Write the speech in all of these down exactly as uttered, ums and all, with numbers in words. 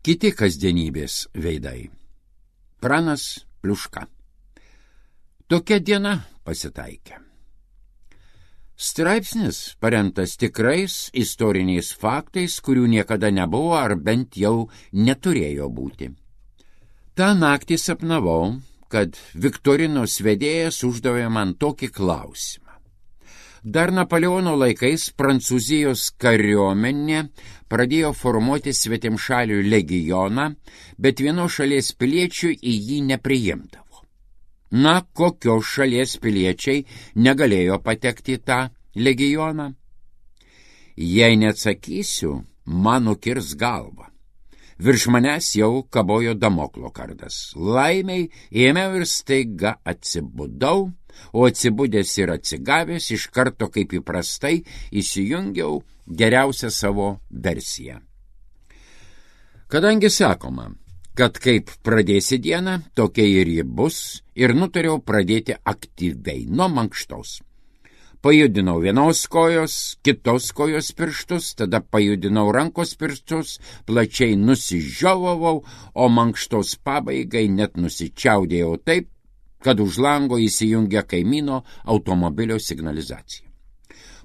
Kiti kasdienybės veidai. Pranas Pliuška. Tokia diena pasitaikė. Straipsnis paremtas tikrais istoriniais faktais, kurių niekada nebuvo ar bent jau neturėjo būti. Ta naktį sapnavau, kad viktorinos vedėjas uždavė man tokį klausimą. Dar Napoleono laikais Prancūzijos kariuomenė pradėjo formuoti svetimšalių legioną, bet vienos šalies piliečių į jį nepriimdavo. Na, kokios šalies piliečiai negalėjo patekti į tą legioną? Jei neatsakysiu, man nukirs galvą. Virš manęs jau kabojo Damoklo kardas. Laimiai ėmiau ir staiga atsibudau, o atsibudęs ir atsigavęs iš karto kaip įprastai įsijungiau geriausią savo versiją. Kadangi sakoma, kad kaip pradėsi dieną, tokia ir ji bus, ir nutariau pradėti aktyviai nuo mankštos. Pajudinau vienos kojos, kitos kojos pirštus, tada pajudinau rankos pirštus, plačiai nusižiovavau, o mankštos pabaigai net nusičiaudėjau taip, kad už lango įsijungia kaimyno automobilio signalizacija.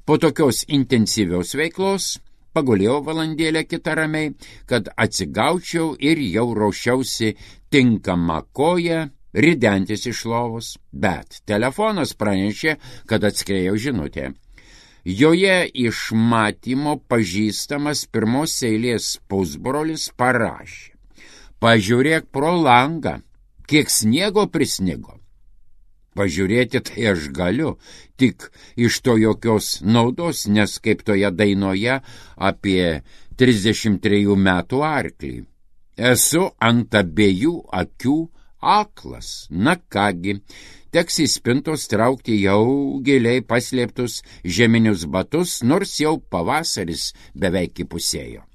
Po tokios intensyvios veiklos pagulėjau valandėlę kitą ramiai, kad atsigaučiau ir jau ruošiausi tinkamą koją ridentis iš lovos, bet telefonas pranešė, kad atskriejo žinutė. Joje iš matymo pažįstamas pirmos eilės pusbrolis parašė: pažiūrėk pro langą, kiek sniego prisnigo. Pažiūrėti tai aš galiu, tik iš to jokios naudos, nes kaip toje dainoje apie trisdešimt trejų metų arklį. Esu ant abiejų akių aklas. Na kągi, teks į spintos traukti jau giliai paslėptus žieminius batus, nors jau pavasaris beveik įpusėjo.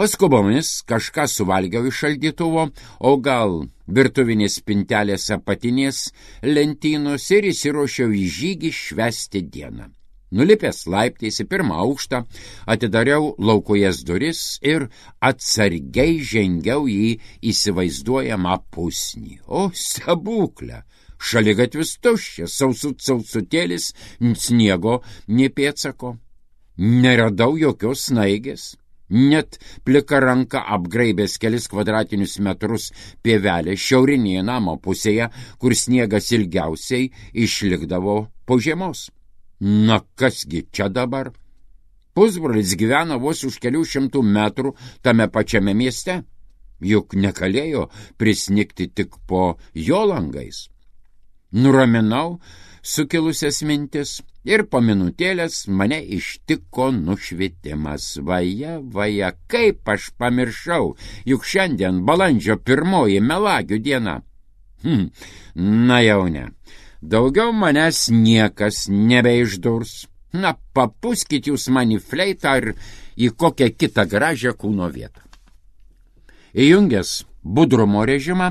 Paskubomis kažką suvalgiau iš šaldytuvo, o gal virtuvinės spintelės apatinės lentynos ir įsiruošiau į žygį švęsti dieną. Nulipęs laiptais į pirmą aukštą, atidariau laukojas duris ir atsargiai žengiau į įsivaizduojamą pusnį. O, stebuklė! Šaligatvis tuščias, sausut sausutėlis, sniego nė pėdsako. Neradau jokios snaigės. Net plika ranka apgraibęs kelis kvadratinius metrus pievelė šiaurinėje namo pusėje, kur sniegas ilgiausiai išlikdavo po žiemos. Na kasgi čia dabar? Pusbrolis gyvena vos už kelių šimtų metrų tame pačiame mieste, juk negalėjo prisnigti tik po jo langais. Nuraminau sukilusias mintis ir po minutėlės mane ištiko nušvitimas. Vaja, vaja, kaip aš pamiršau, juk šiandien balandžio pirmoji melagių diena. Hm, na jau ne. Daugiau manęs niekas nebeišdurs. Na, papuskit jūs man į fleitą ar į kokią kitą gražią kūno vietą. Įjungęs budrumo režimą,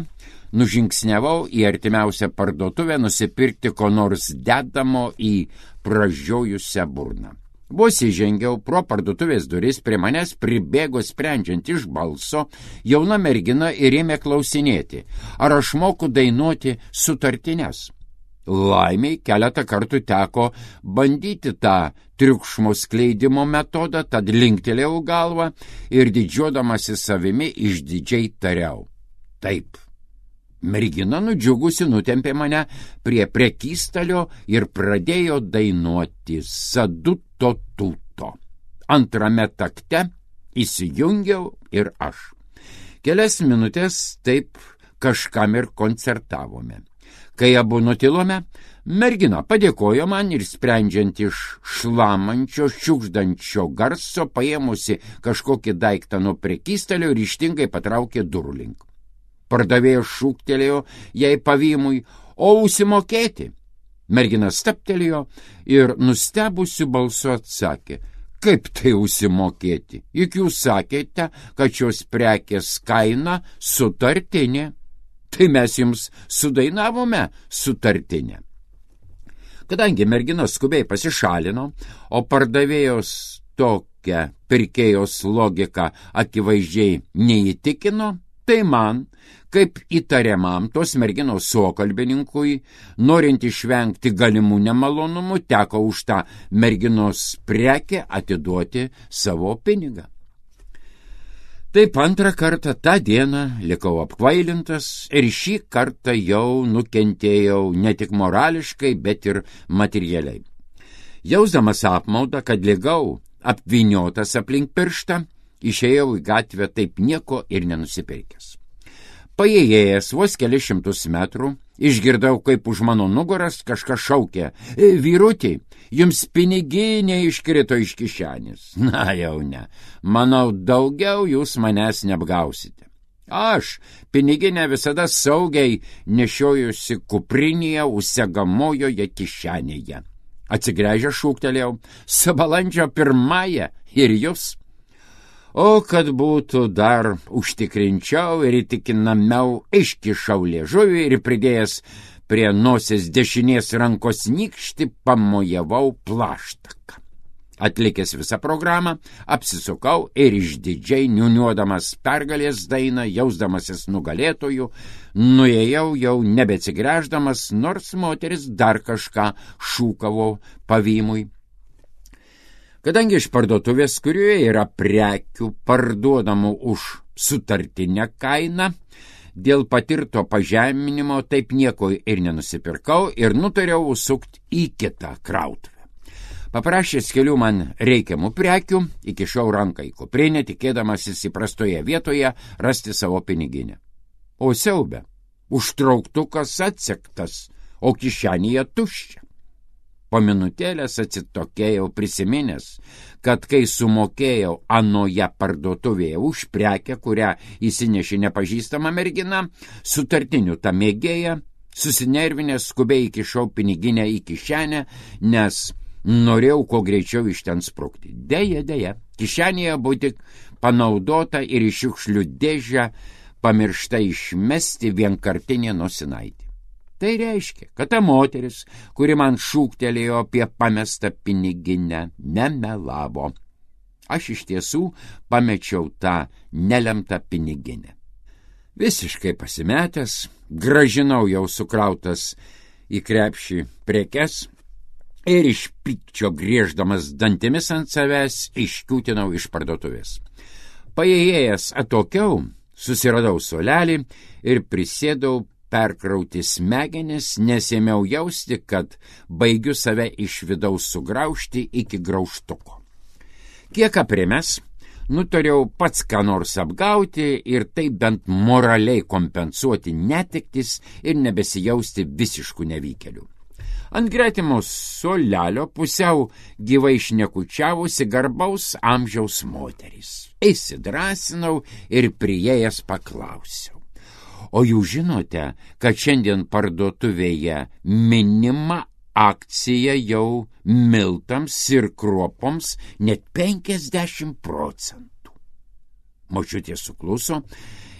nužingsniavau į artimiausią parduotuvę nusipirkti ko nors dedamo į pražiojusią burną. Vos įžengiau pro parduotuvės duris, prie manęs pribėgo sprendžiant iš balso jauna mergina ir ėmė klausinėti, ar aš moku dainuoti sutartines. Laimiai keletą kartų teko bandyti tą triukšmo skleidimo metodą, tad linktelėjau galvą ir didžiuodamasi savimi išdidžiai tariau: taip. Mergina nudžiugusi nutempė mane prie prekystalio ir pradėjo dainuoti Saduto tuto. Antrame takte įsijungiau ir aš. Kelias minutės taip kažkam ir koncertavome. Kai abu nutilome, mergina padėkojo man ir sprendžiant iš šlamančio, šiukšdančio garso, paėmusi kažkokį daiktą nuo prekystalio, ryžtingai patraukė durų link. Pardavėjas šūktelėjo jai pavymui: o užsimokėti? Mergina stabtelėjo ir nustebusiu balsu atsakė: kaip tai užsimokėti? Juk jūs sakėte, kad šios prekės kaina sutartinė. Tai mes jums sudainavome sutartinę. Kadangi mergina skubiai pasišalino, o pardavėjos to tokia pirkėjos logika akivaizdžiai neįtikino, tai man, kaip įtariamam tos merginos suokalbininkui, norint išvengti galimų nemalonumų, teko už tą merginos prekę atiduoti savo pinigą. Taip antrą kartą tą dieną likau apkvailintas ir šį kartą jau nukentėjau ne tik morališkai, bet ir materialiai. Jausdamas apmaudą, kad ligau apvyniotas aplink pirštą, išėjau į gatvę taip nieko ir nenusipirkęs. Paėjėjęs vos kelius šimtus metrų, išgirdau, kaip už mano nugaras kažkas šaukė: "Vyrutį, jums piniginė iškrito iš kišenės." Na jau ne, manau, daugiau jūs manęs neapgausite. Aš piniginę visada saugiai nešiojusi kuprinėje užsegamojoje kišenėje. Atsigręžę šūktelėjau: "Balandžio pirmąją ir jūs." O kad būtų dar užtikrinčiau ir įtikinamiau, iškišau liežuvį ir pridėjęs prie nosies dešinės rankos nykštį pamojavau plaštaką. Atlikęs visą programą, apsisukau ir išdidžiai niūniuodamas pergalės dainą, jausdamasis nugalėtojų, nuėjau jau nebeatsigręždamas, nors moteris dar kažką šūkavo pavymui. Kadangi iš parduotuvės, kurioje yra prekių parduodamų už sutartinę kainą, dėl patirto pažeminimo taip nieko ir nenusipirkau ir nutariau užsukti į kitą krautuvę. Paprašęs kelių man reikiamų prekių, įkišau ranką į kuprinę, tikėdamasis įprastoje vietoje rasti savo piniginę. O siaube, užtrauktukas atsektas, o kišenėje tuščia. Po minutėlės atsitokėjau prisiminęs, kad kai sumokėjau anoje parduotuvėje už prekę, kurią įsinešė nepažįstama mergina, sutartinių tą mėgėją, susinervinęs skubiai įkišau piniginę į kišenę, nes norėjau kuo greičiau iš ten sprukti. Deja, deja, kišenėje buvo tik panaudota ir iš šiukšlių dėžę pamiršta išmesti vienkartinė nosinaitė. Tai reiškia, kad ta moteris, kuri man šūktelėjo apie pamestą piniginę, nemelavo. Aš iš tiesų pamečiau tą nelemtą piniginę. Visiškai pasimetęs, gražinau jau sukrautas į krepšį prekes ir iš pykčio grieždamas dantimis ant savęs iškiūtinau iš parduotuvės. Paėjėjęs atokiau, susiradau suolelį ir prisėdau perkrauti smegenis, nes ėmiau jausti, kad baigiu save iš vidaus sugraužti iki graužtuko. Kiek aprimęs, nutariau pats ką nors apgauti ir taip bent moraliai kompensuoti netektis ir nebesijausti visiškų nevykėlių. Ant gretimo suolelio pusiau gyvai šnekučiavusi garbaus amžiaus moteris. Įsidrasinau ir priėjęs paklausiau: "O jūs žinote, kad šiandien parduotuvėje minima akcija jau miltams ir kruopoms net penkiasdešimt procentų. Močiutė sukluso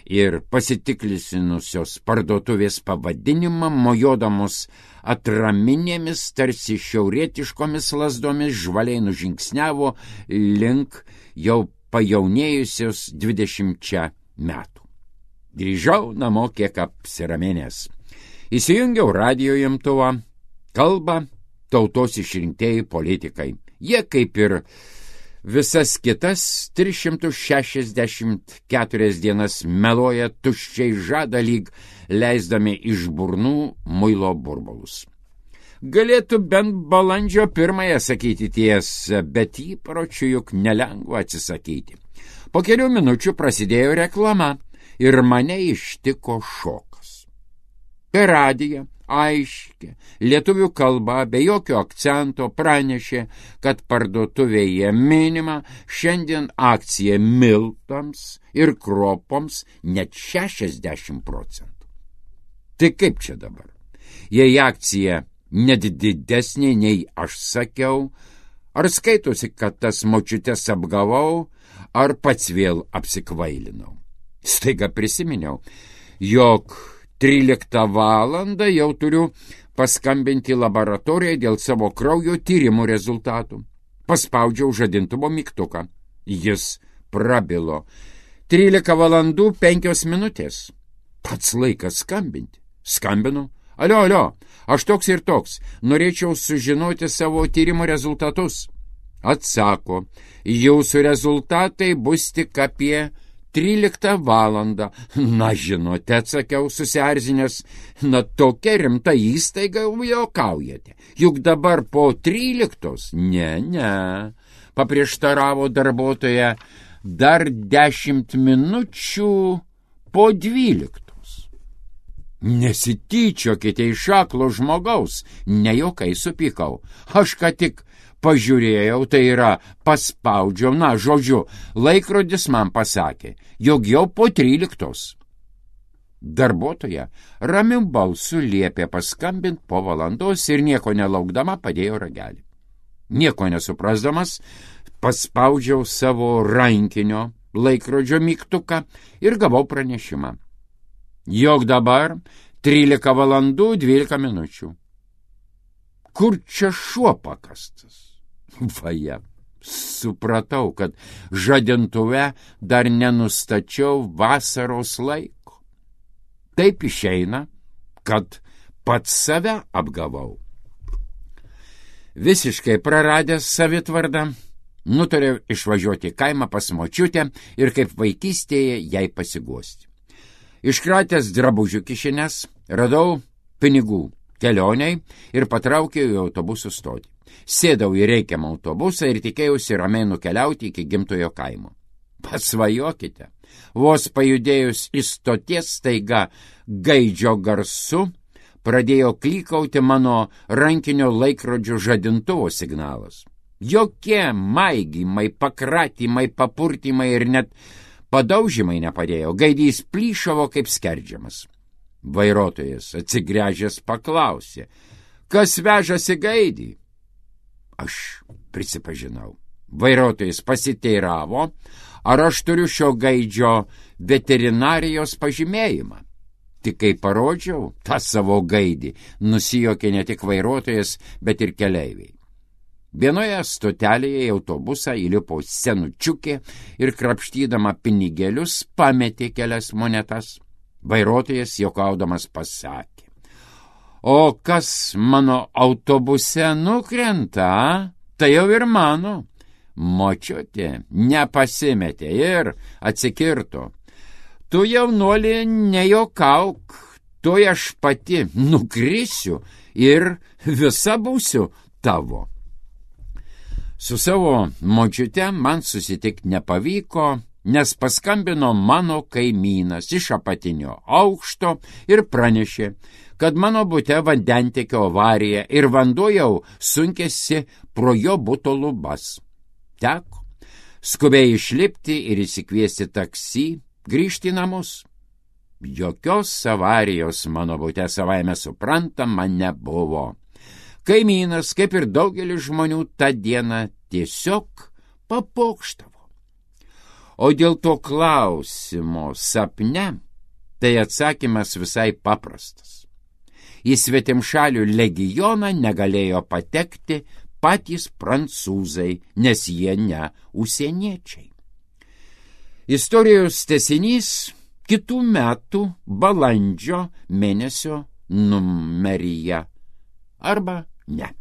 ir pasitiklinusios parduotuvės pavadinimą, mojodamos atraminėmis, tarsi šiaurietiškomis lazdomis, žvaliai nužingsniavo link jau pajaunėjusios dvidešimčia metų. Grįžau namo kiek apsiraminęs. Įsijungiau radijo imtuvą, kalba tautos išrinktieji politikai. Jie kaip ir visas kitas tris šimtus šešiasdešimt keturias dienas meluoja, tuščiai žada lyg leisdami iš burnų muilo burbulus. Galėtų bent balandžio pirmąją sakyti tiesą, bet įpročių juk nelengva atsisakyti. Po kelių minučių prasidėjo reklama ir mane ištiko šokas. Per radiją aiškiai lietuvių kalba be jokio akcento pranešė, kad parduotuvėje minima šiandien akcija miltams ir kruopoms net šešiasdešimt procentų. Tai kaip čia dabar? Jei akcija net didesnė nei aš sakiau, ar skaitosi, kad tas močiutes apgavau, ar pats vėl apsikvailinau? Staiga prisiminiau, jog tryliktą valandą jau turiu paskambinti laboratoriją dėl savo kraujo tyrimų rezultatų. Paspaudžiau žadintuvo mygtuką. Jis prabilo. Trylika valandų penkios minutės. Pats laikas skambinti. Skambinu. Alio, alio, aš toks ir toks. Norėčiau sužinoti savo tyrimo rezultatus. Atsako, jūsų rezultatai bus tik apie tryliktą valandą. Na, žinote, atsakiau susierzinęs, na tokia rimta įstaiga juokaujate. Juk dabar po tryliktos? Ne, ne, paprieštaravo darbuotoja, dar dešimt minučių po dvyliktos. Nesityčiokite iš aklo žmogaus, nejuokai supykau. Aš ką tik pažiūrėjau, tai yra paspaudžiau, na, žodžiu, laikrodis man pasakė, jog jau po tryliktos. Darbuotoja ramiu balsu liepė paskambint po valandos ir nieko nelaukdama padėjo ragelį. Nieko nesuprasdamas, paspaudžiau savo rankinio laikrodžio mygtuką ir gavau pranešimą. Jog dabar trylika valandų dvylika minučių. Kur čia šuo pakastas? Vaja, supratau, kad žadintuve dar nenustačiau vasaros laiko. Taip išeina, kad pats save apgavau. Visiškai praradęs savitvardą, nutariau išvažiuoti kaimą pas močiutę ir kaip vaikystėje jai pasiguosti. Iškratęs drabužių kišenes, radau pinigų kelioniai ir patraukiau į autobusų stotį. Sėdau į reikiamą autobusą ir tikėjausi ramiai nukeliauti iki gimtojo kaimo. Pasvajokite, vos pajudėjus į stoties staiga gaidžio garsu, pradėjo klykauti mano rankinio laikrodžio žadintuvo signalas. Jokie maigymai, pakratymai, papurtymai ir net padaužymai nepadėjo, gaidys plyšavo kaip skerdžiamas. Vairuotojas atsigręžęs paklausė, kas vežasi gaidį? Aš prisipažinau. Vairuotojas pasiteiravo, ar aš turiu šio gaidžio veterinarijos pažymėjimą. Tik kai parodžiau tą savo gaidį, nusijuokė ne tik vairuotojas, bet ir keleiviai. Vienoje stotelėje į autobusą įlipo senučiukė ir krapštydama pinigėlius pametė kelias monetas. Vairuotojas juokaudamas pasakė, o kas mano autobuse nukrenta, tai jau ir mano. Močiutė nepasimetė ir atsikirto. Tu jaunuoli nejuokauk, tuoj aš pati nukrisiu ir visa būsiu tavo. Su savo močiute man susitikti nepavyko, nes paskambino mano kaimynas iš apatinio aukšto ir pranešė, kad mano bute vandentiekio avarija ir vanduo jau sunkėsi pro jo buto lubas. Teko skubiai išlipti ir įsikviesti taksi, grįžti į namus. Jokios avarijos mano bute savaime suprantama nebuvo. Kaimynas, kaip ir daugelis žmonių, tą dieną tiesiog papokštavo. O dėl to klausimo sapne, tai atsakymas visai paprastas. Į svetimšalių legioną negalėjo patekti patys prancūzai, nes jie ne užsieniečiai. Istorijos tęsinys kitų metų balandžio mėnesio numeryje. Arba ne.